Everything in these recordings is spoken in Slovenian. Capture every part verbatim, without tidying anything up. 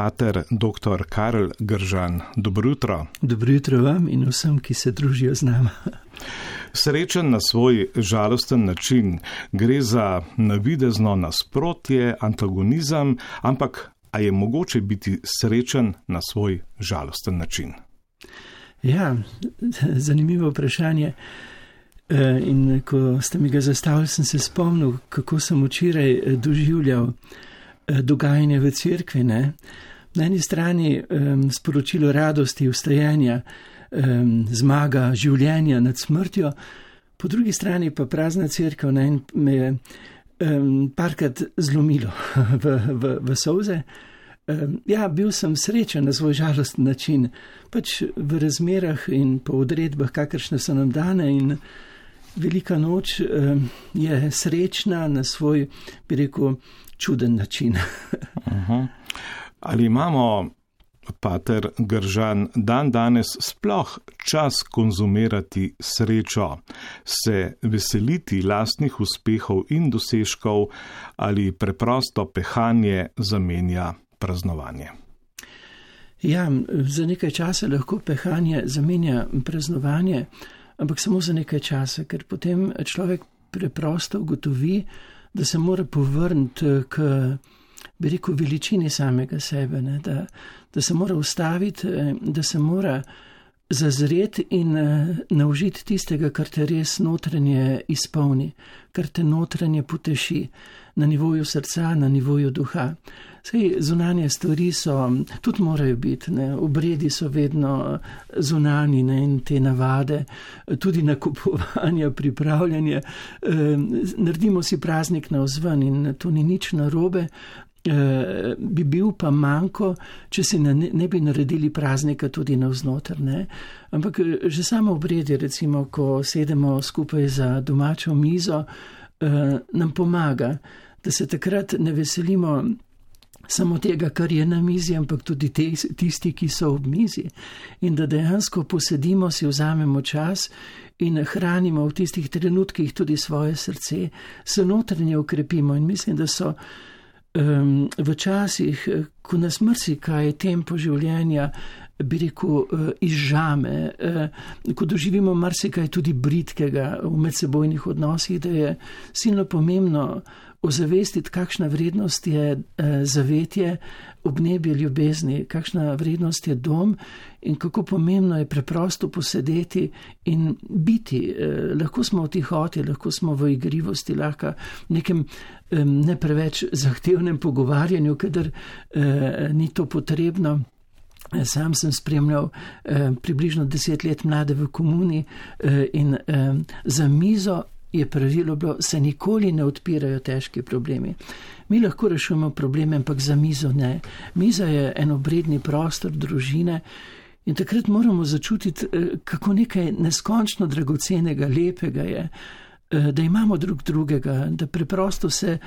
pater doktor Karel Gržan. Dobro jutro. Dobro jutro vam in vsem, ki se družijo z nama. Srečen na svoj žalosten način. Gre za navidezno nasprotje, antagonizem, ampak a je mogoče biti srečen na svoj žalosten način? Ja, zanimivo vprašanje. In ko ste mi ga zastavili, sem se spomnil, kako sem včeraj doživljal dogajanje v cerkvi. Ne? Na eni strani um, sporočilo radosti, vstajenja, um, zmaga življenja nad smrtjo, po drugi strani pa prazna cerkev, ne? In me je um, parkrat zlomilo v, v, v solze. Um, ja, bil sem srečen na svoj žalosten način, pač v razmerah in po odredbah, kakršne so nam dane, in Velika noč um, je srečna na svoj, bi rekel, čuden način. uh-huh. Ali imamo, pater Gržan, dan danes sploh čas konzumirati srečo, se veseliti lastnih uspehov in dosežkov, ali preprosto pehanje zamenja praznovanje? Ja, za nekaj časa lahko pehanje zamenja praznovanje, ampak samo za nekaj časa, ker potem človek preprosto ugotovi, da se mora povrniti k, bi rekel, veličini samega sebe, ne? Da, da se mora ustaviti, da se mora zazreti in naužiti tistega, kar te res notranje izpolni, kar te notranje poteši na nivoju srca, na nivoju duha. Sej zunanje stvari so, tudi morajo biti, ne? Obredi so vedno zunani, ne? In te navade, tudi nakupovanja, pripravljanje. E, naredimo si praznik na vzven in to ni nič narobe. E, bi bil pa manjko, če si ne, ne bi naredili praznika tudi navznoter, ne? Ampak že samo obredi, recimo, ko sedemo skupaj za domačo mizo, e, nam pomaga, da se takrat ne veselimo samo tega, kar je na mizi, ampak tudi te, tisti, ki so ob mizi. In da dejansko posedimo, si vzamemo čas in hranimo v tistih trenutkih tudi svoje srce, se notranje ukrepimo. In mislim, da so um, v časih, ko nas marsikaj tempo življenja, bi rekel, izžame, ko doživimo marsikaj tudi britkega v medsebojnih odnosih, da je silno pomembno ozavestiti, kakšna vrednost je zavetje, obnebje ljubezni, kakšna vrednost je dom in kako pomembno je preprosto posedeti in biti. Lahko smo v tihoti, lahko smo v igrivosti, lahko v nekem ne preveč zahtevnem pogovarjanju, kadar ni to potrebno. Sam sem spremljal eh, približno deset let mlade v komuni eh, in eh, za mizo je pravilo bilo, se nikoli ne odpirajo težki problemi. Mi lahko rešujemo probleme, ampak za mizo ne. Miza je enobredni prostor družine in takrat moramo začutiti, eh, kako nekaj neskončno dragocenega, lepega je, eh, da imamo drug drugega, da preprosto se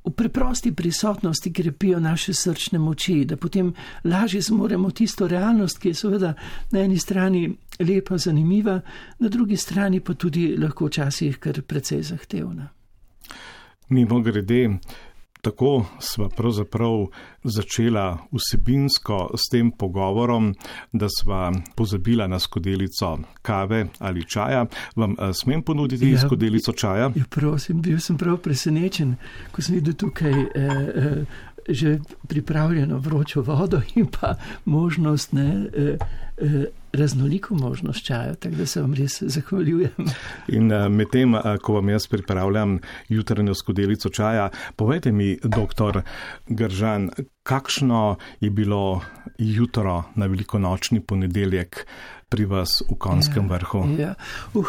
v preprosti prisotnosti krepijo naše srčne moči, da potem lažje zmoremo tisto realnost, ki je seveda na eni strani lepa, zanimiva, na drugi strani pa tudi lahko včasih kar precej zahtevna. Mimogrede, tako sva pravzaprav začela vsebinsko s tem pogovorom, da sva pozabila na skodelico kave ali čaja. Vam smem ponuditi ja, skodelico čaja? Ja, prosim, bil sem prav presenečen, ko sem videl tukaj eh, eh, že pripravljeno vročo vodo in pa možnost, ne, eh, eh, raznoliko možnost čaja, tako da se vam res zahvaljujem. In medtem, ko vam jaz pripravljam jutranjo skodelico čaja, povejte mi, doktor Gržan, kakšno je bilo jutro na velikonočni ponedeljek pri vas v Konjskem ja, vrhu? Ja, uh,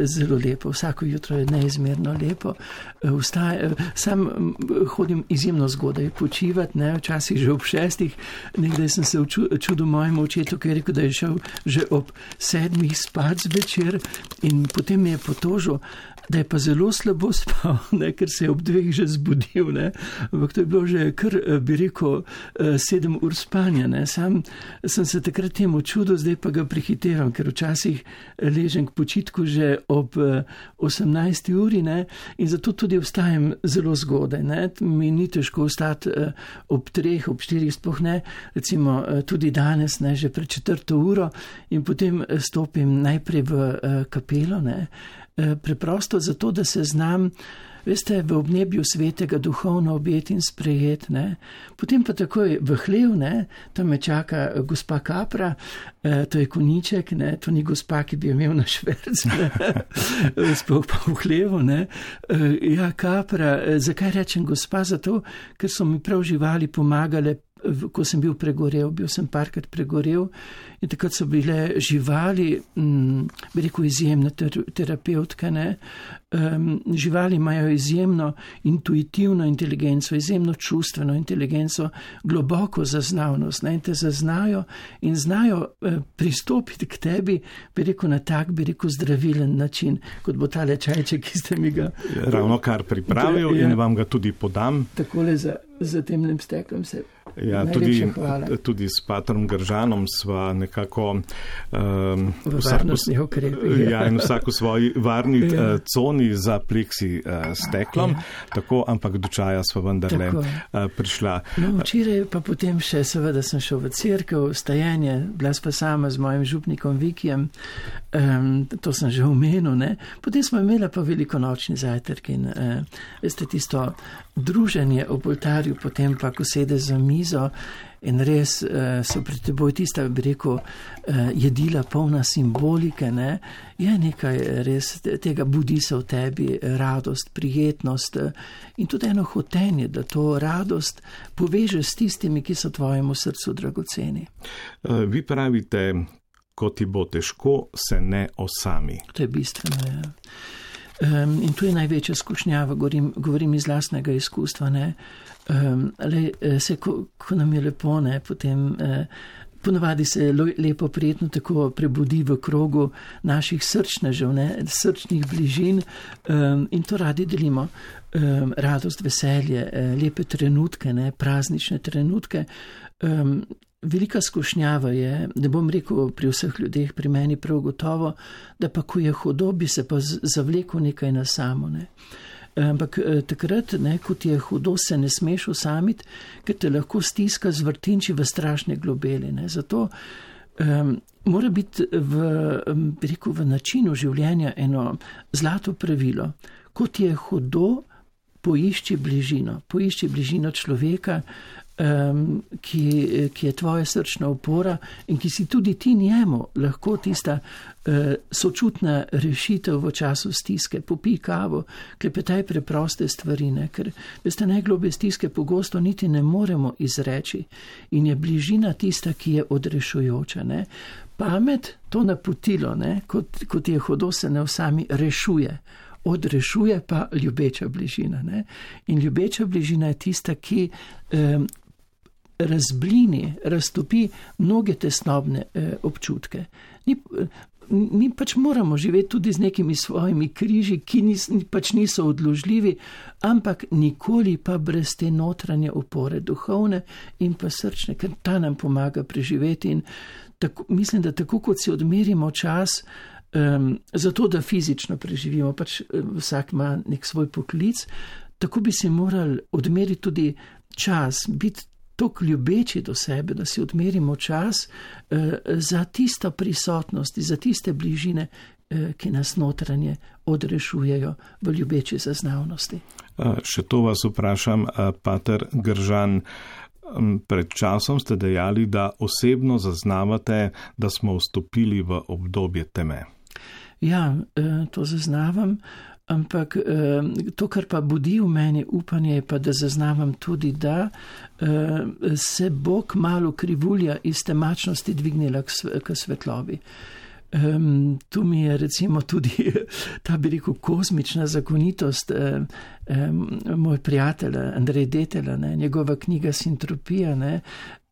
zelo lepo, vsako jutro je neizmerno lepo. Vstaj, sam hodim izjemno zgodaj počivati, ne, včasih že ob šestih, nekdaj sem se čudil mojemu očetu, ki je rekel, da je šel že ob sedmih spat zvečer in potem mi je potožil, da je pa zelo slabo spal, ne, ker se je ob dveh že zbudil, ne, ampak to je bilo že kar, bi rekel, sedem ur spanja, ne. Sam sem se takrat temu čudil, zdaj pa ga prehitevam, ker včasih ležem k počitku že ob osemnajsti uri, ne, in zato tudi vstajam zelo zgodaj, ne. Mi ni težko vstati ob treh, ob štirih sploh ne, recimo tudi danes, ne, že pred četrto uro in potem stopim najprej v kapelo, ne, preprosto zato, da se znam, veste, v obnebju svetega duhovno objeti in sprejet, ne. Potem pa takoj v hlev, ne, tam me čaka gospa Kapra, to je koniček, ne, to ni gospa, ki bi imel na šverc, ne, sploh pa v hlevu, ne. Ja, Kapra, zakaj rečem gospa? Zato, ker so mi prav živali pomagale, ko sem bil pregorel, bil sem parkrat pregorel in takrat so bile živali, m, bi rekel, izjemne ter, terapevtke, ne. Um, živali imajo izjemno intuitivno inteligenco, izjemno čustveno inteligenco, globoko zaznavnost, ne, in te zaznajo in znajo eh, pristopiti k tebi, bi rekel, na tak, bi rekel, zdravilen način, kot bo tale čajček, ki ste mi ga ravno kar pripravil in vam ga tudi podam. Takole za, za temnim steklom se. Ja, tudi, tudi s patrom Gržanom sva nekako um, v varnostnih ukrepih. Ja, in vsak v svoji varni ja. uh, coni za pleksi uh, steklom, ja. Tako, ampak do čaja sva vendarle uh, prišla. No, včeraj pa potem še seveda sem šel v cerkev, stajenje, bila sva sama z mojim župnikom Vikijem, um, to sem že omenil, ne. Potem smo imela pa velikonočni zajtrk in uh, veste, tisto druženje ob oltarju, potem pa, ko sede za mizo in res uh, so pred teboj tista, bi rekel, uh, jedila polna simbolike, ne, je nekaj res tega budi se v tebi, radost, prijetnost uh, in tudi eno hotenje, da to radost povežeš s tistimi, ki so tvojemu srcu dragoceni. Uh, vi pravite, ko ti bo težko, se ne osami. To je bistveno, ja. Um, in tu je največja skušnjava, govorim, govorim iz lastnega izkustva, ne. Um, le, se, ko, ko nam je lepo, ne, potem eh, ponavadi se lepo prijetno tako prebudi v krogu naših srčnežev, ne, srčnih bližin um, in to radi delimo. Um, radost, veselje, eh, lepe trenutke, ne, praznične trenutke. Um, Velika skušnjava je, ne bom rekel pri vseh ljudeh, pri meni prav gotovo, da pa ko je hudo, bi se pa zavlekel nekaj na samo, ne. Ampak takrat, ne, ko ti je hudo, se ne smeš osamiti, ker te lahko stiska zvrtinči v strašne globeli, ne. Zato um, mora biti v, bi rekel, v načinu življenja eno zlato pravilo. Ko ti je hudo, poišči bližino, poišči bližino človeka, Um, ki, ki je tvoja srčna opora in ki si tudi ti njemu lahko tista uh, sočutna rešitev v času stiske. Popij kavo, klepetaj preproste stvari, ne? Ker veste, najgloblje stiske pogosto niti ne moremo izreči in je bližina tista, ki je odrešujoča, ne? Pamet, to napotilo, ne? Kot, kot je hudo, se ne osami rešuje. Odrešuje pa ljubeča bližina, ne? In ljubeča bližina je tista, ki um, razblini, raztopi mnoge tesnobne eh, občutke. Ni, mi pač moramo živeti tudi z nekimi svojimi križi, ki nis, pač niso odložljivi, ampak nikoli pa brez te notranje opore, duhovne in pa srčne, ker ta nam pomaga preživeti. In tako, mislim, da tako kot si odmerimo čas, um, zato da fizično preživimo, pač vsak ima nek svoj poklic, tako bi si morali odmeriti tudi čas, biti toliko ljubeči do sebe, da si odmerimo čas uh, za tisto prisotnost, za tiste bližine, uh, ki nas notranje odrešujejo v ljubeči zaznavnosti. Uh, še to vas vprašam, uh, pater Gržan. Um, pred časom ste dejali, da osebno zaznavate, da smo vstopili v obdobje teme. Ja, uh, to zaznavam. Ampak to, kar pa budi v meni upanje, je pa, da zaznavam tudi, da se bo kmalu krivulja iz temačnosti dvignila k svetlobi. Tu mi je recimo tudi ta, bi rekel, kozmična zakonitost Um, moj prijatelj Andrej Detela, ne, njegova knjiga Sintropija, ne,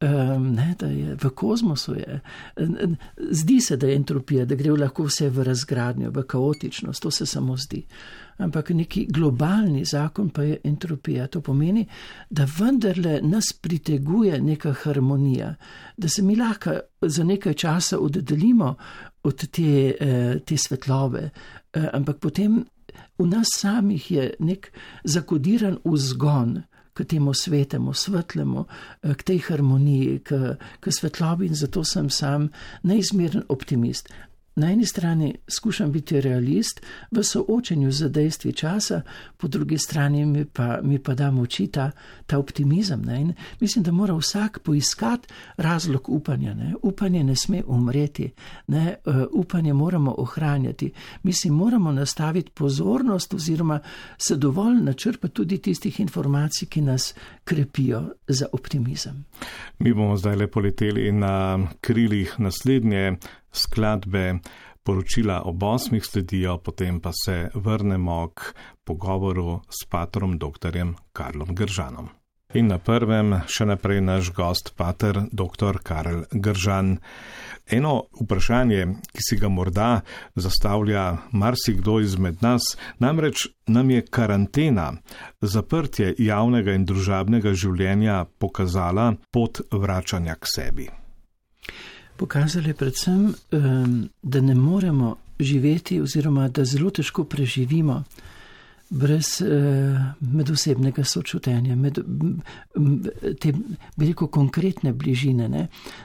um, ne, da je v kozmosu je. Zdi se, da je entropija, da gre lahko vse v razgradnjo, v kaotičnost, to se samo zdi. Ampak neki globalni zakon pa je entropija. To pomeni, da vendarle nas priteguje neka harmonija, da se mi lahko za nekaj časa oddaljimo od te, te svetlobe, ampak potem v nas samih je nek zakodiran vzgon k temu svetemu, svetlemu, k tej harmoniji, k, k svetlobi, in zato sem sam neizmeren optimist. Na eni strani skušam biti realist v soočenju z dejstvi časa, po drugi strani mi pa, mi pa da moči ta, ta optimizem. Ne? In mislim, da mora vsak poiskati razlog upanja. Ne? Upanje ne sme umreti, ne? Uh, upanje moramo ohranjati. Mislim, moramo nastaviti pozornost oziroma se dovolj načrpati tudi tistih informacij, ki nas krepijo za optimizem. Mi bomo zdaj le poleteli na krilih naslednje skladbe, poročila ob osmih sledijo, potem pa se vrnemo k pogovoru s patrom doktorjem Karlom Gržanom. In na prvem še naprej naš gost, pater doktor Karel Gržan. Eno vprašanje, ki si ga morda zastavlja marsikdo izmed nas, namreč nam je karantena, zaprtje javnega in družabnega življenja pokazala pot vračanja k sebi. Pokazali predvsem, da ne moremo živeti oziroma da zelo težko preživimo brez medosebnega sočutenja, med, te, bi rekel, konkretne bližine. Ne?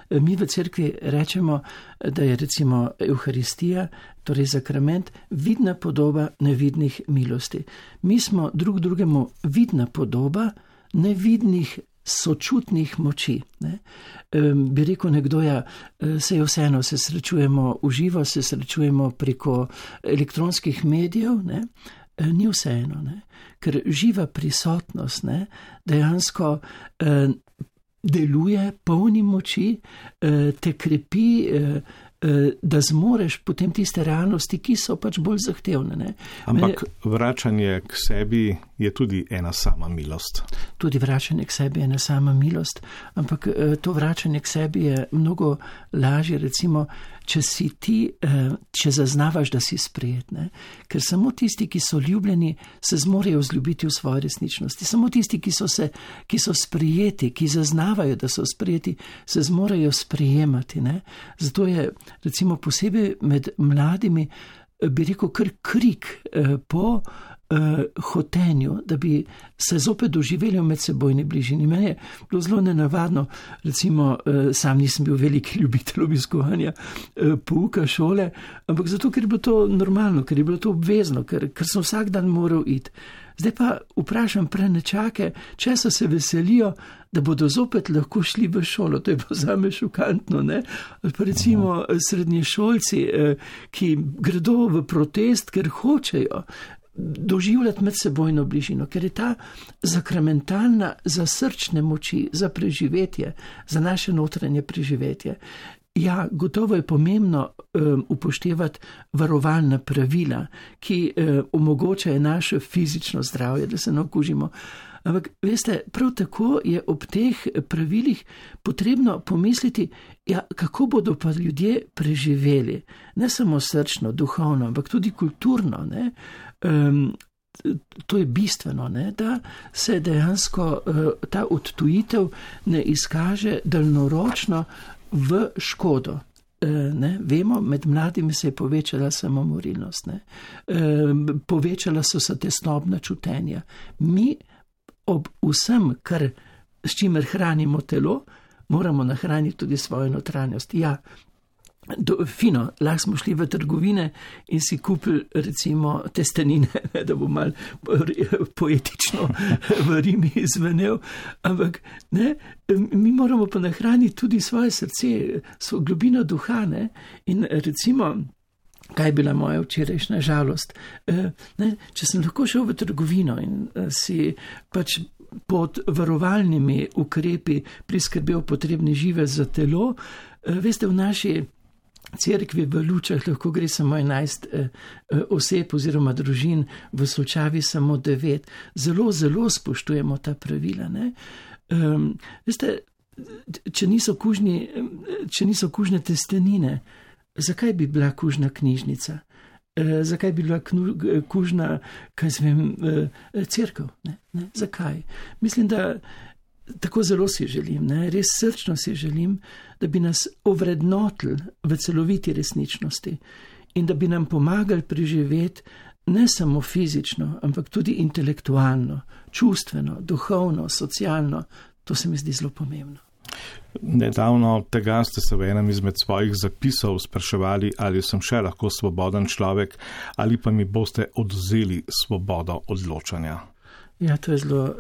Mi v cerkvi rečemo, da je recimo Evharistija, torej sakrament, vidna podoba nevidnih milosti. Mi smo drug drugemu vidna podoba nevidnih sočutnih moči. Ne? E, bi rekel nekdo, ja, se je vseeno, se srečujemo v živo, se srečujemo preko elektronskih medijev, ne? E, ni vseeno, ne? Ker živa prisotnost, ne? Dejansko e, deluje polni moči, e, te krepi, e, da zmoreš potem tiste realnosti, ki so pač bolj zahtevne. Ne? Ampak vračanje k sebi je tudi ena sama milost. Tudi vračanje k sebi je ena sama milost, ampak to vračanje k sebi je mnogo lažje, recimo, če si ti, če zaznavaš, da si sprejet. Ne? Ker samo tisti, ki so ljubljeni, se zmorejo vzljubiti v svoji resničnosti. Samo tisti, ki so, se, ki so sprejeti, ki zaznavajo, da so sprejeti, se zmorejo sprejemati. Ne? Zato je recimo posebej med mladimi, bi rekel, kar krik eh, po eh, hotenju, da bi se zopet doživeli v medsebojni bližini. Meni je bilo zelo nenavadno, recimo eh, sam nisem bil veliki ljubitelj obiskovanja eh, pouka šole, ampak zato, ker je bilo to normalno, ker je bilo to obvezno, ker, ker sem vsak dan moral iti. Zdaj pa vprašam prenečake, če so se veselijo, da bodo zopet lahko šli v šolo. To je pa zame šokantno, ne? Pa recimo srednješolci, ki gredo v protest, ker hočejo doživljati medsebojno bližino, ker je ta sakramentalna za srčne moči, za preživetje, za naše notranje preživetje. Ja, gotovo je pomembno um, upoštevati varovalna pravila, ki um, omogočajo naše fizično zdravje, da se ne okužimo. Ampak, veste, prav tako je ob teh pravilih potrebno pomisliti, ja, kako bodo pa ljudje preživeli. Ne samo srčno, duhovno, ampak tudi kulturno. Ne? Um, to je bistveno, ne? Da se dejansko uh, ta odtujitev ne izkaže daljnoročno v škodo. E, ne, vemo, med mladimi se je povečala samomorilnost, ne. E, povečala so se tesnobna čutenja. Mi ob vsem, kar, s čimer hranimo telo, moramo nahraniti tudi svojo notranjost. Ja, do, fino, lahko smo šli v trgovine in si kupili recimo testenine, da bo malo poetično v Rimi izvenel, ampak ne, mi moramo pa nahraniti tudi svoje srce, svojo globino duha, ne, in recimo, kaj je bila moja včerajšnja žalost, ne, če sem lahko šel v trgovino in si pač pod varovalnimi ukrepi priskrbel potrebni žive za telo, veste, v naši cerkvi v Lučah lahko gre samo enajst eh, oseb oziroma družin, v Solčavi samo devet. Zelo, zelo spoštujemo ta pravila. Ne? Um, veste, če niso, kužni, če niso kužne testenine, zakaj bi bila kužna knjižnica? E, zakaj bi bila knu, kužna, kaj zvem, e, cerkev? Ne? Ne? Zakaj? Mislim, da tako zelo si želim, ne? Res srčno si želim, da bi nas ovrednotili v celoviti resničnosti in da bi nam pomagali preživeti ne samo fizično, ampak tudi intelektualno, čustveno, duhovno, socialno. To se mi zdi zelo pomembno. Nedavno tega ste se v enem izmed svojih zapisov spraševali, ali sem še lahko svoboden človek, ali pa mi boste odvzeli svobodo odločanja. Ja, to je zelo,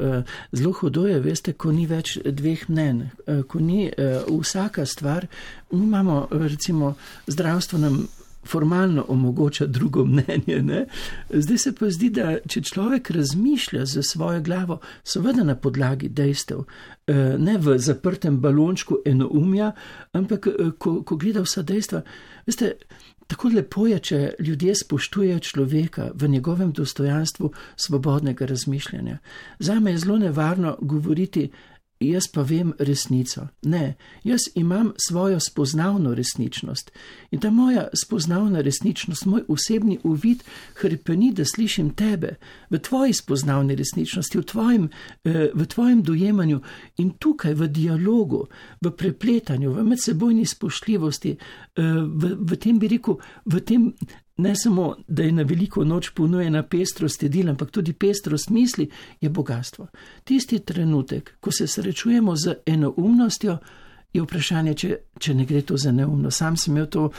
zelo hudo je, veste, ko ni več dveh mnen, ko ni vsaka stvar, mi imamo, recimo, zdravstvo nam formalno omogoča drugo mnenje. Ne? Zdaj se pa zdi, da če človek razmišlja za svojo glavo, seveda na podlagi dejstev, ne v zaprtem balončku enoumja, ampak ko, ko gleda vsa dejstva, veste, tako lepo je, če ljudje spoštujejo človeka v njegovem dostojanstvu svobodnega razmišljanja. Zame je zelo nevarno govoriti, jaz pa vem resnico. Ne, jaz imam svojo spoznavno resničnost. In ta moja spoznavna resničnost, moj osebni uvid hrepeni, da slišim tebe v tvoji spoznavni resničnosti, v tvojem, v tvojem dojemanju in tukaj v dialogu, v prepletanju, v medsebojni spoštljivosti, v, v tem bi rekel, v tem ne samo, da je na veliko noč ponujena pestrost jedil, ampak tudi pestrost misli je bogatstvo. Tisti trenutek, ko se srečujemo z enoumnostjo, je vprašanje, če, če ne gre to za neumno. Sam sem imel to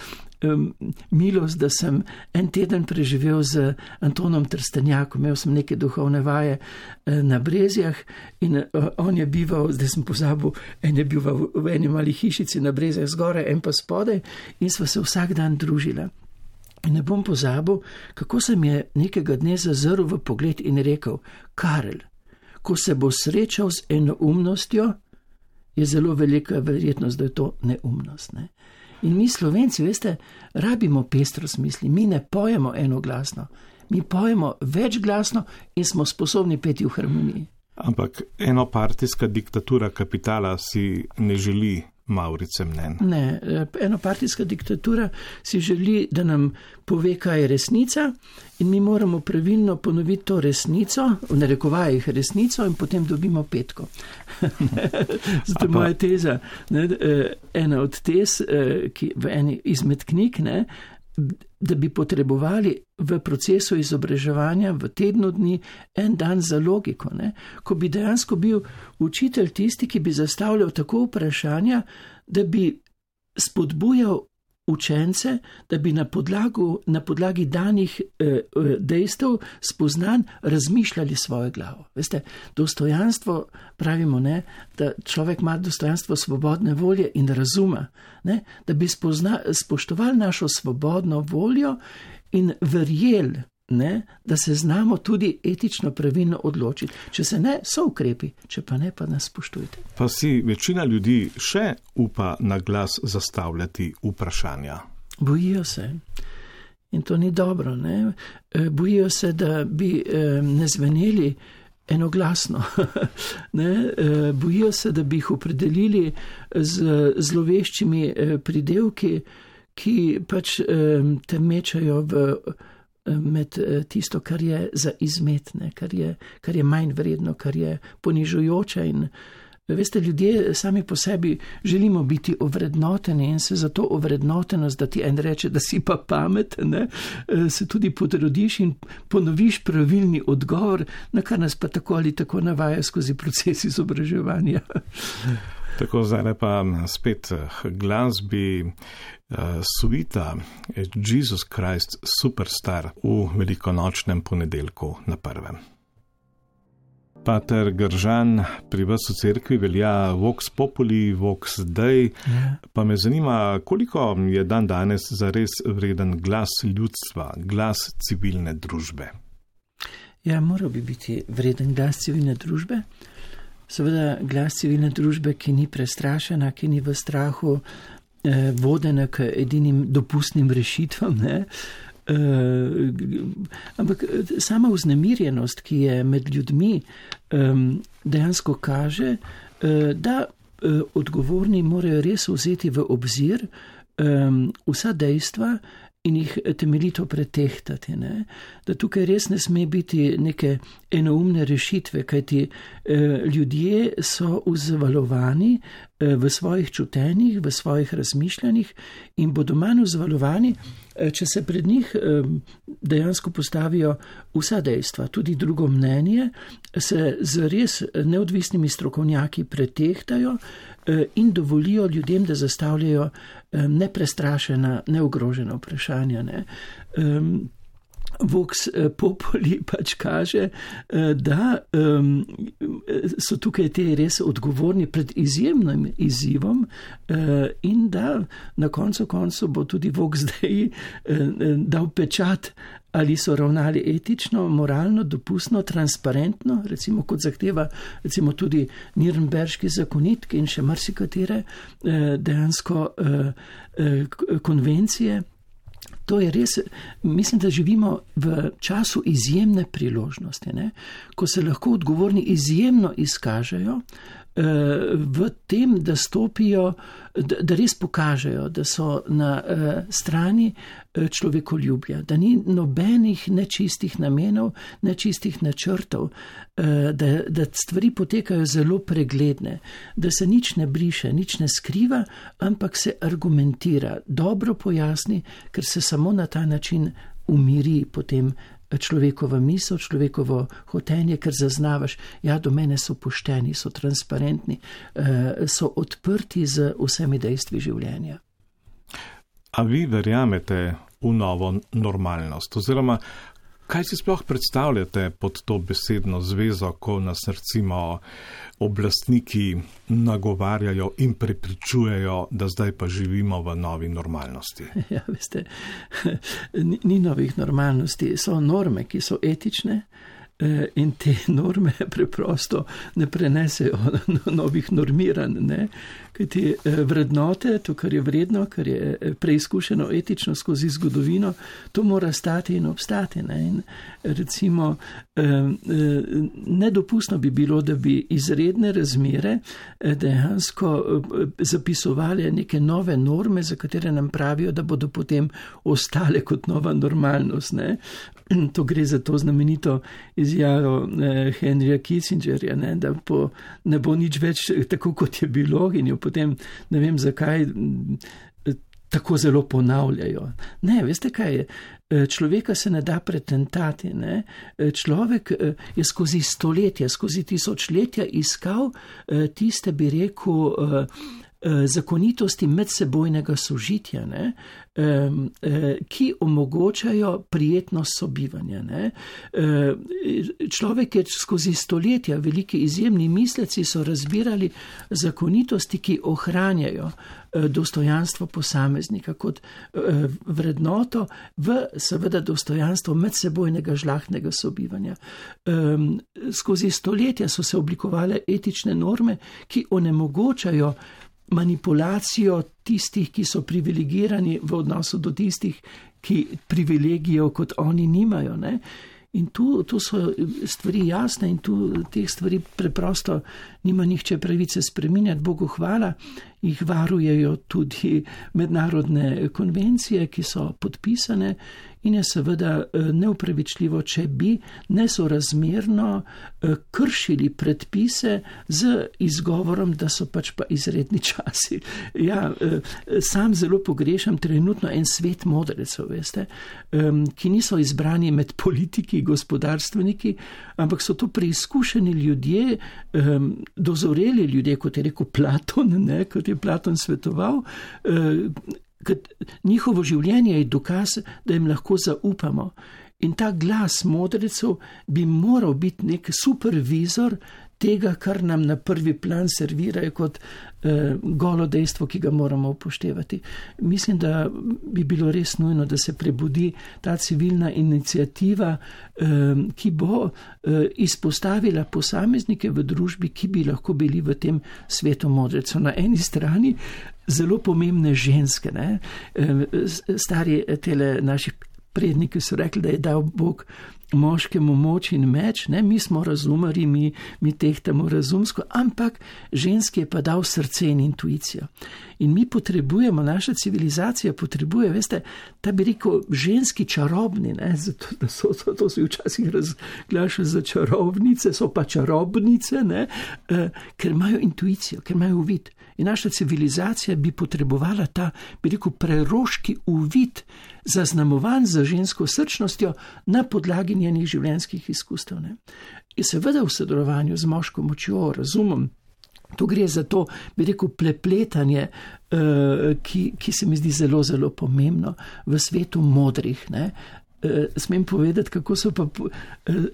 um, milost, da sem en teden preživel z Antonom Trstenjakom, imel sem neke duhovne vaje uh, na Brezjah in uh, on je bival, zdaj sem pozabil, en je bil v, v eni mali hišici na Brezjah zgoraj, en pa spodaj in sva se vsak dan družila. In ne bom pozabil, kako sem je nekega dne zazrl v pogled in rekel, Karel, ko se bo srečal z enoumnostjo, je zelo velika verjetnost, da je to neumnost. Ne? In mi Slovenci, veste, rabimo pestrost misli, mi ne pojemo enoglasno, mi pojemo večglasno in smo sposobni peti v harmoniji. Ampak enopartijska diktatura kapitala si ne želi Mavrice mnen. Ne, enopartijska diktatura si želi, da nam pove, kaj je resnica in mi moramo pravilno ponoviti to resnico, v narekovajih resnico in potem dobimo petko. Zato je moja teza, ne, ena od tez, ki v eni izmed knjig, ne, da bi potrebovali v procesu izobraževanja v tednu dni en dan za logiko, ne? Ko bi dejansko bil učitelj tisti, ki bi zastavljal tako vprašanja, da bi spodbujal učence, da bi na, podlagu, na podlagi danih eh, dejstev spoznan razmišljali svojo glavo. Veste, dostojanstvo, pravimo, ne, da človek ima dostojanstvo svobodne volje in razuma, ne, da bi spozna, spoštovali našo svobodno voljo in verjeli, ne, da se znamo tudi etično pravilno odločiti. Če se ne, so ukrepi, če pa ne, pa nas spoštujte. Pa si večina ljudi še upa na glas zastavljati vprašanja? Bojijo se. In to ni dobro. Ne? Bojijo se, da bi ne zveneli enoglasno. ne? Bojijo se, da bi jih opredelili z zloveščimi pridevki, ki pač te mečajo v med tisto, kar je za izmetne, kar je, kar je manj vredno, kar je ponižujoče. In veste, ljudje sami po sebi želimo biti ovrednoteni in se za to ovrednotenost, da ti en reče, da si pa pameten, ne, se tudi potrodiš in ponoviš pravilni odgovor, na kar nas pa tako ali tako navaja skozi proces izobraževanja. Tako zdaj pa spet glasbi uh, suita Jesus Christ Superstar v velikonočnem ponedeljku na prvem. Pater Gržan, pri vas v cerkvi velja Vox Populi, Vox Dei, ja. Pa me zanima, koliko je dan danes zares vreden glas ljudstva, glas civilne družbe? Ja, moral bi biti vreden glas civilne družbe. Seveda glas civilne družbe, ki ni prestrašena, ki ni v strahu, vodena k edinim dopustnim rešitvam, ne. Uh, ampak sama vznemirjenost, ki je med ljudmi, um, dejansko kaže, uh, da uh, odgovorni morajo res vzeti v obzir um, vsa dejstva in jih temeljito pretehtati. Ne? Da tukaj res ne sme biti neke enoumne rešitve, kajti eh, ljudje so vzvalovani eh, v svojih čutenjih, v svojih razmišljanjih in bodo manj vzvalovani, eh, če se pred njih eh, dejansko postavijo vsa dejstva, tudi drugo mnenje, se z res neodvisnimi strokovnjaki pretehtajo eh, in dovolijo ljudem, da zastavljajo eh, neprestrašena, neogrožena vprašanja. Ne? Um, Vox populi pač kaže, da um, so tukaj te res odgovorni pred izjemnim izzivom uh, in da na koncu koncu bo tudi Vox zdaj uh, dal pečat, ali so ravnali etično, moralno, dopustno, transparentno, recimo kot zahteva recimo tudi Nürnberški zakonik in še marsikatere uh, dejansko uh, uh, konvencije. To je res, mislim, da živimo v času izjemne priložnosti, ne? Ko se lahko odgovorni izjemno izkažejo uh, v tem, da stopijo, da, da res pokažejo, da so na uh, strani uh, človekoljubja, da ni nobenih nečistih namenov, nečistih načrtov, uh, da, da stvari potekajo zelo pregledne, da se nič ne briše, nič ne skriva, ampak se argumentira, dobro pojasni, ker se samo na ta način umiri potem človekova misel, človekovo hotenje, ker zaznavaš, ja, do mene so pošteni, so transparentni, so odprti z vsemi dejstvi življenja. A vi verjamete v novo normalnost? Oziroma, kaj si sploh predstavljate pod to besedno zvezo, ko nas recimo oblastniki nagovarjajo in prepričujejo, da zdaj pa živimo v novi normalnosti? Ja, veste, ni, ni novih normalnosti, so norme, ki so etične in te norme preprosto ne prenesejo novih normiranj, ne? Kajti vrednote, to, kar je vredno, kar je preizkušeno etično skozi zgodovino, to mora stati in obstati. Ne? In recimo, nedopustno bi bilo, da bi izredne razmere dejansko zapisovali neke nove norme, za katere nam pravijo, da bodo potem ostale kot nova normalnost. Ne? To gre za to znamenito izjavo Henryja Kissingerja, ne? Da po, ne bo nič več tako, kot je bilo in jo potem ne vem zakaj tako zelo ponavljajo. Ne, veste kaj je? Človeka se ne da pretentati. Ne? Človek je skozi stoletja, skozi tisočletja iskal tiste, bi rekel, zakonitosti medsebojnega sožitja, ne, ki omogočajo prijetnost sobivanja. Ne. Človek je skozi stoletja, veliki izjemni misleci so razbirali zakonitosti, ki ohranjajo dostojanstvo posameznika kot vrednoto v seveda dostojanstvo medsebojnega žlahtnega sobivanja. Skozi stoletja so se oblikovale etične norme, ki onemogočajo manipulacijo tistih, ki so privilegirani v odnosu do tistih, ki privilegijev kot oni nimajo. Ne? In tu, tu so stvari jasne in tu teh stvari preprosto nima nihče pravice spreminjati. Bogu hvala, jih varujejo tudi mednarodne konvencije, ki so podpisane in je seveda neupravičljivo, če bi nesorazmerno kršili predpise z izgovorom, da so pač pa izredni časi. Ja, sam zelo pogrešam trenutno en svet modrecev, veste, ki niso izbrani med politiki, gospodarstveniki, ampak so to preizkušeni ljudje, dozoreli ljudje, kot je rekel Platon, ne, kot je Platon svetoval, njihovo življenje je dokaz, da jim lahko zaupamo. In ta glas modrecev bi moral biti nek supervizor tega, kar nam na prvi plan servirajo kot eh, golo dejstvo, ki ga moramo upoštevati. Mislim, da bi bilo res nujno, da se prebudi ta civilna iniciativa, eh, ki bo eh, izpostavila posameznike v družbi, ki bi lahko bili v tem svetu modrecev. Na eni strani zelo pomembne ženske, ne? Stari tele naši predniki so rekli, da je dal Bog moškemu moč in meč, ne? Mi smo razumari, mi, mi tehtamo razumsko, ampak ženski je pa dal srce in intuicijo. In mi potrebujemo, naša civilizacija potrebuje, veste, ta bi rekel ženski čarobni, ne? Zato, da so, to, to se včasih razglaša za čarobnice, so pa čarobnice, ne? E, ker imajo intuicijo, ker imajo uvid. In naša civilizacija bi potrebovala ta, bi rekel, preroški uvid, zaznamovan za žensko srčnostjo na podlagi njenih življenjskih izkustev. Ne? In seveda v sodelovanju z moško močjo, razumom, tu gre za to, bi rekel, prepletanje, uh, ki, ki se mi zdi zelo, zelo pomembno v svetu modrih. Ne? Smem povedati, kako so pa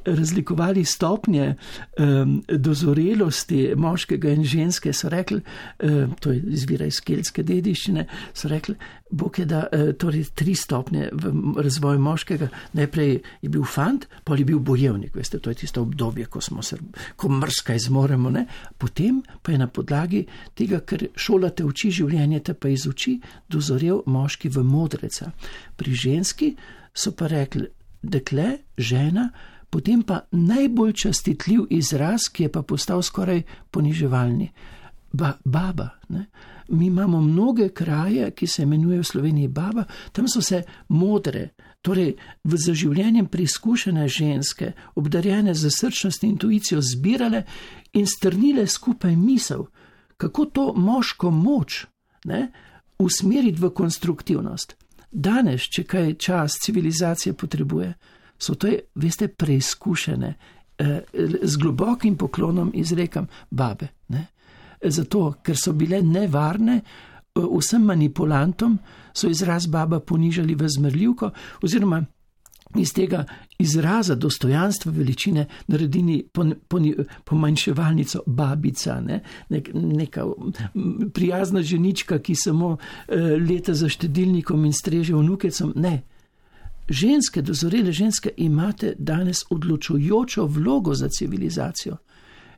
razlikovali stopnje um, dozorelosti moškega in ženske. So rekli, um, to je izvira iz keltske dediščine, so rekli, Bog je da uh, torej tri stopnje v razvoju moškega. Najprej je bil fant, potem je bil bojevnik. Veste, to je tisto obdobje, ko smo se, ko mrskaj zmoremo. Ne? Potem pa je na podlagi tega, ker šola te uči, življenje te pa izuči, dozorel moški v modreca. Pri ženski so pa rekli, dekle, žena, potem pa najbolj častitljiv izraz, ki je pa postal skoraj poniževalni. Ba, baba. Ne? Mi imamo mnoge kraje, ki se imenujejo v Sloveniji baba, tam so se modre, torej v zaživljenjem preizkušene ženske, obdarjene za srčnost in intuicijo, zbirale in strnile skupaj misel, kako to moško moč, ne, usmeriti v konstruktivnost. Danes, če kaj čas civilizacije potrebuje, so to, veste, preizkušene, eh, z globokim poklonom izrekam babe. Ne? Zato, ker so bile nevarne, vsem manipulantom so izraz baba ponižali v zmerljivko, oziroma iz tega izraza dostojanstva veličine naredili pomanjševalnico babica, ne? Nek, neka prijazna ženička, ki samo eh, leta za štedilnikom in streže vnukecom. Ne. Ženske, dozorele ženske, imate danes odločujočo vlogo za civilizacijo.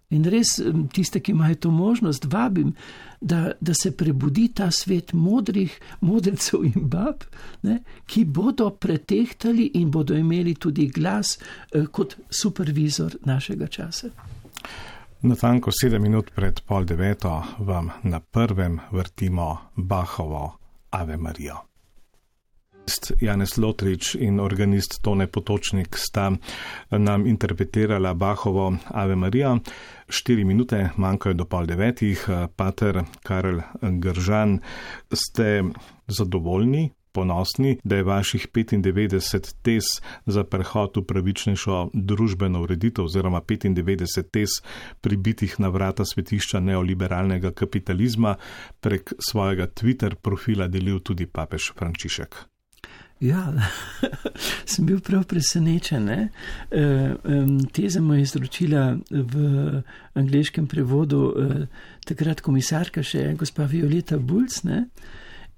In res tiste, ki imajo to možnost, vabim, da, da se prebudi ta svet modrih, modrecev in bab, ne, ki bodo pretehtali in bodo imeli tudi glas eh, kot supervizor našega časa. Natanko sedem minut pred pol deveto vam na prvem vrtimo Bachovo Ave Marijo. Janez Lotrič in organist Tone Potočnik sta nam interpretirala Bachovo Ave Marija. Štiri minute manjkajo do pol devetih. Pater Karel Gržan, ste zadovoljni, ponosni, da je vaših petindevetdeset tez za prehod v pravičnejšo družbeno ureditev oziroma petindevetdeset tez pribitih na vrata svetišča neoliberalnega kapitalizma prek svojega Twitter profila delil tudi papež Frančišek? Ja, sem bil prav presenečen. Ne? Teze mu je izročila v angleškem prevodu takrat komisarka še gospa Violeta Bulc, ne?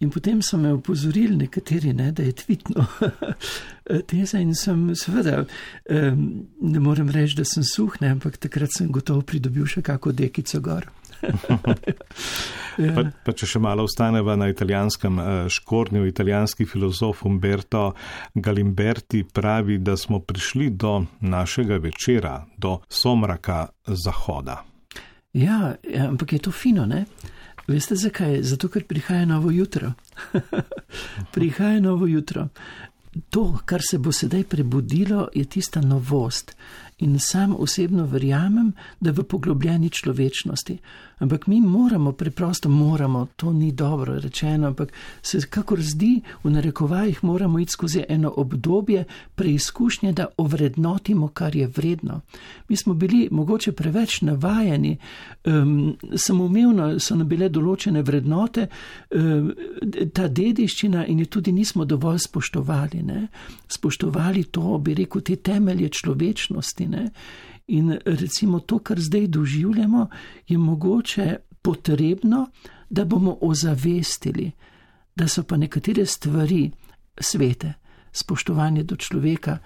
In potem so me opozorili nekateri, ne, da je tvitno teza in sem seveda, ne morem reči, da sem suh, ne, ampak takrat sem gotovo pridobil še kako dekico gor. pa, pa če še malo ostaneva na italijanskem škornju, italijanski filozof Umberto Galimberti pravi, da smo prišli do našega večera, do somraka zahoda. Ja, ampak je to fino, ne? Veste zakaj? Zato, ker prihaja novo jutro. Prihaja novo jutro. To, kar se bo sedaj prebudilo, je tista novost. In sam osebno verjamem, da v poglobljeni človečnosti. Ampak mi moramo, preprosto moramo, to ni dobro rečeno, ampak se kakor zdi, v narekovajih moramo iti skozi eno obdobje preizkušnje, da ovrednotimo, kar je vredno. Mi smo bili mogoče preveč navajeni, um, samoumevno so nam bile določene vrednote, um, ta dediščina in je tudi nismo dovolj spoštovali. Ne? Spoštovali to, bi rekel, te temelje človečnosti. Ne? In recimo to, kar zdaj doživljamo, je mogoče potrebno, da bomo ozavestili, da so pa nekatere stvari svete, spoštovanje do človeka,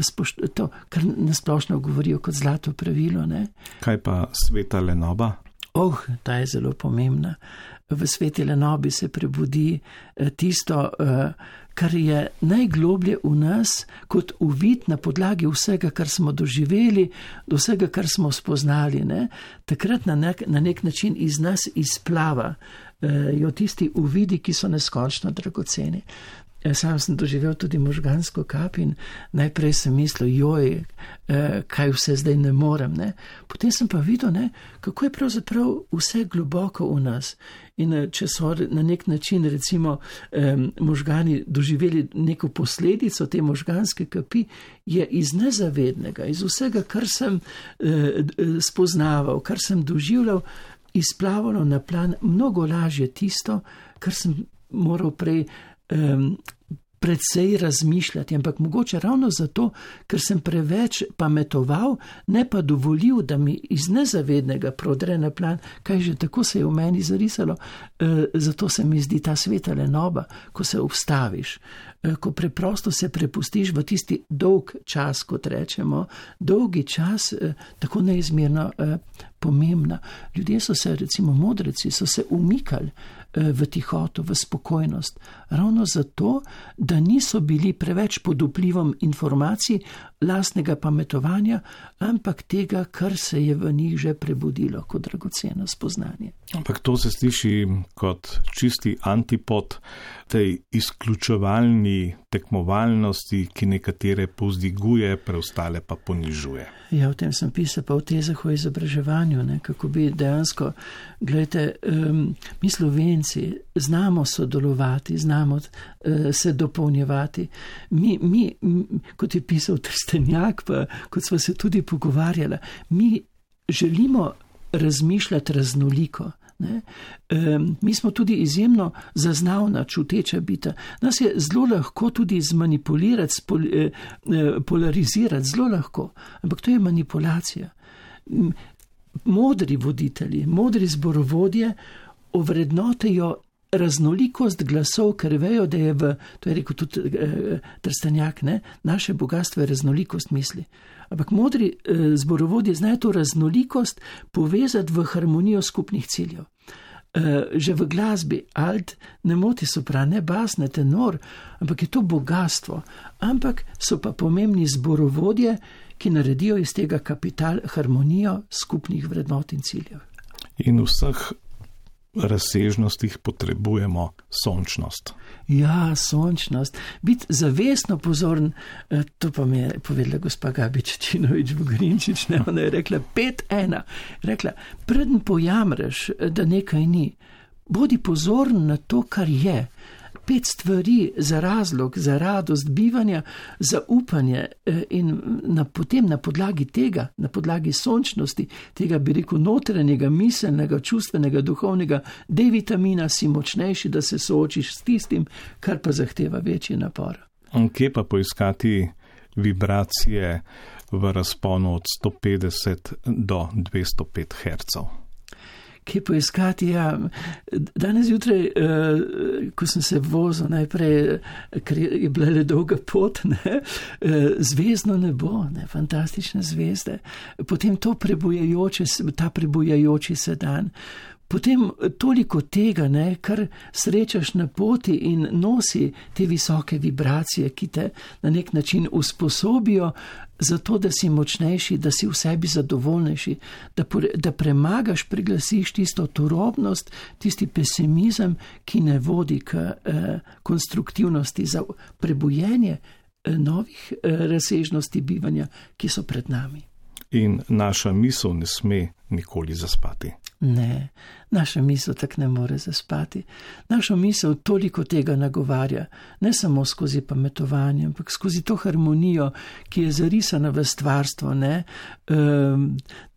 spošt, to, kar nasplošno govorijo kot zlato pravilo. Ne? Kaj pa sveta lenoba? Oh, ta je zelo pomembna. V sveti lenobi se prebudi tisto, kar je najgloblje v nas, kot uvid na podlagi vsega, kar smo doživeli, do vsega, kar smo spoznali. Ne? Takrat na nek, na nek način iz nas izplava jo tisti uvidi, ki so neskončno dragoceni. Sam sem doživel tudi možgansko kap in najprej sem mislil, joj, kaj vse zdaj ne morem. Ne? Potem sem pa videl, ne, kako je pravzaprav vse globoko v nas. In če so na nek način recimo možgani doživeli neko posledico te možganske kapi, je iz nezavednega, iz vsega, kar sem spoznaval, kar sem doživljal, izplavalo na plan mnogo lažje tisto, kar sem moral prej Um, predvsej razmišljati, ampak mogoče ravno zato, ker sem preveč pametoval, ne pa dovolil, da mi iz nezavednega prodre na plan, kaj že tako se je v meni zarisalo. E, zato se mi zdi ta sveta lenoba, ko se obstaviš, e, ko preprosto se prepustiš v tisti dolg čas, kot rečemo, dolgi čas, e, tako neizmerno e, pomembna. Ljudje so se, recimo modreci, so se umikali v tihoto, v spokojnost. Ravno zato, da niso bili preveč pod vplivom informacij, lastnega pametovanja, ampak tega, kar se je v njih že prebudilo kot dragoceno spoznanje. Ampak to se sliši kot čisti antipod tej izključevalni tekmovalnosti, ki nekatere povzdiguje, preostale pa ponižuje. Ja, o tem sem pisal pa v tezah o izobraževanju, ne, kako bi dejansko, gledajte, um, mi Slovenci znamo sodelovati, znamo uh, se dopolnjevati. Mi, mi, m, kot je pisal Trstenjak, pa kot smo se tudi pogovarjali, mi želimo razmišljati raznoliko. Ne? Um, mi smo tudi izjemno zaznavna, čuteča bita. Nas je zelo lahko tudi zmanipulirati, spol, eh, polarizirati, zelo lahko, ampak to je manipulacija. Modri voditelji, modri zborovodje ovrednotijo raznolikost glasov, ker vejo, da je v, to je rekel tudi eh, Trstenjak, ne? Naše bogatstvo je raznolikost misli. Ampak modri eh, zborovodje znajo to raznolikost povezati v harmonijo skupnih ciljev. Eh, že v glasbi alt ne moti sopran, ne bas, ne tenor, ampak je to bogatstvo. Ampak so pa pomembni zborovodje, ki naredijo iz tega kapital harmonijo skupnih vrednot in ciljev. In vseh razsežnostih potrebujemo sončnost. Ja, sončnost. Biti zavestno pozoren, to pa mi je povedala gospa Gabi Čečinovič Vogrinčič, ne, ona je rekla pet ena. Rekla, preden pojamreš, da nekaj ni, bodi pozoren na to, kar je. Pet stvari za razlog, za radost bivanja, za upanje in na, potem na podlagi tega, na podlagi sončnosti, tega bi rekel notranjega, miselnega, čustvenega, duhovnega D-vitamina si močnejši, da se soočiš s tistim, kar pa zahteva večji napor. Kje pa poiskati vibracije v razponu od sto petdeset do dvesto pet hercev? Kje poiskati, ja, danes jutraj, ko sem se vozil najprej, ker je bila le dolga pot, ne, zvezdno nebo, ne, fantastične zvezde, potem to prebujajoče, ta prebujajoči se dan, potem toliko tega, ne, kar srečaš na poti in nosi te visoke vibracije, ki te na nek način usposobijo zato, da si močnejši, da si v sebi zadovoljnejši, da, da premagaš, preglasiš tisto turobnost, tisti pesimizem, ki ne vodi k eh, konstruktivnosti za prebujenje eh, novih eh, razsežnosti bivanja, ki so pred nami. In naša misel ne sme nikoli zaspati. Ne, naša misel tak ne more zaspati. Naša misel toliko tega nagovarja, ne samo skozi pametovanje, ampak skozi to harmonijo, ki je zarisana v stvarstvo, ne,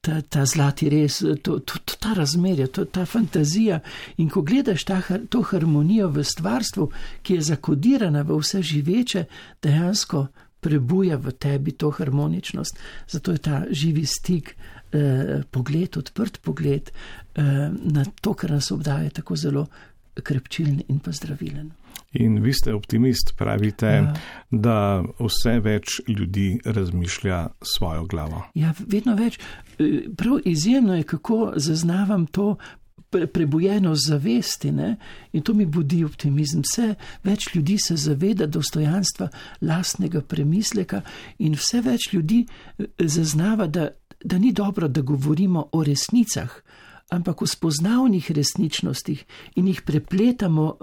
ta, ta zlati res, to, to, to, ta razmerja, to, ta fantazija. In ko gledaš ta, to harmonijo v stvarstvu, ki je zakodirana v vse živeče, dejansko prebuja v tebi to harmoničnost. Zato je ta živi stik, eh, pogled, odprt pogled eh, na to, kar nas obdaja, tako zelo krepčilen in pa zdravilen. In vi ste optimist, pravite, ja. Da vse več ljudi razmišlja svojo glavo. Ja, vedno več. Prav izjemno je, kako zaznavam to prebujeno zavesti, ne? In to mi budi optimizem. Vse več ljudi se zaveda dostojanstva lastnega premisleka in vse več ljudi zaznava, da, da ni dobro, da govorimo o resnicah, ampak o spoznavnih resničnostih in jih prepletamo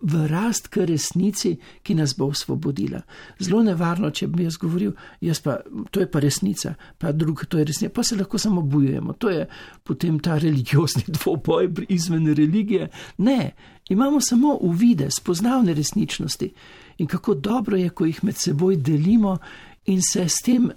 v rast k resnici, ki nas bo osvobodila. Zelo nevarno, če bi jaz govoril, jaz pa, to je pa resnica, pa drug, to je resnica, pa se lahko samo bojujemo. To je potem ta religiozni dvoboj izven religije. Ne, imamo samo uvide, spoznavne resničnosti in kako dobro je, ko jih med seboj delimo in se s tem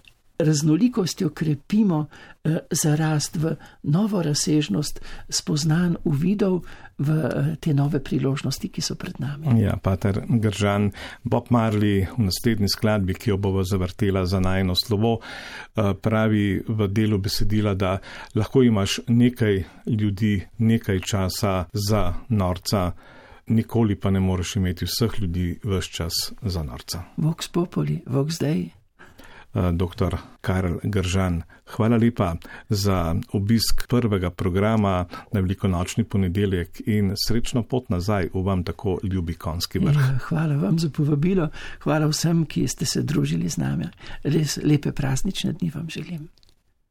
raznolikostjo krepimo eh, za rast v novo razsežnost spoznan uvidov v eh, te nove priložnosti, ki so pred nami. Ja, pater Gržan, Bob Marley v naslednji skladbi, ki jo bova zavrtela za najino slovo, eh, pravi v delu besedila, da lahko imaš nekaj ljudi, nekaj časa za norca, nikoli pa ne moreš imeti vseh ljudi ves čas za norca. Vox populi, vox dei. Doktor Karel Gržan, hvala lepa za obisk prvega programa na velikonočni ponedeljek in srečno pot nazaj v vam tako ljubi Konjski vrh. Ja, hvala vam za povabilo, hvala vsem, ki ste se družili z nami. Res lepe praznične dni vam želim.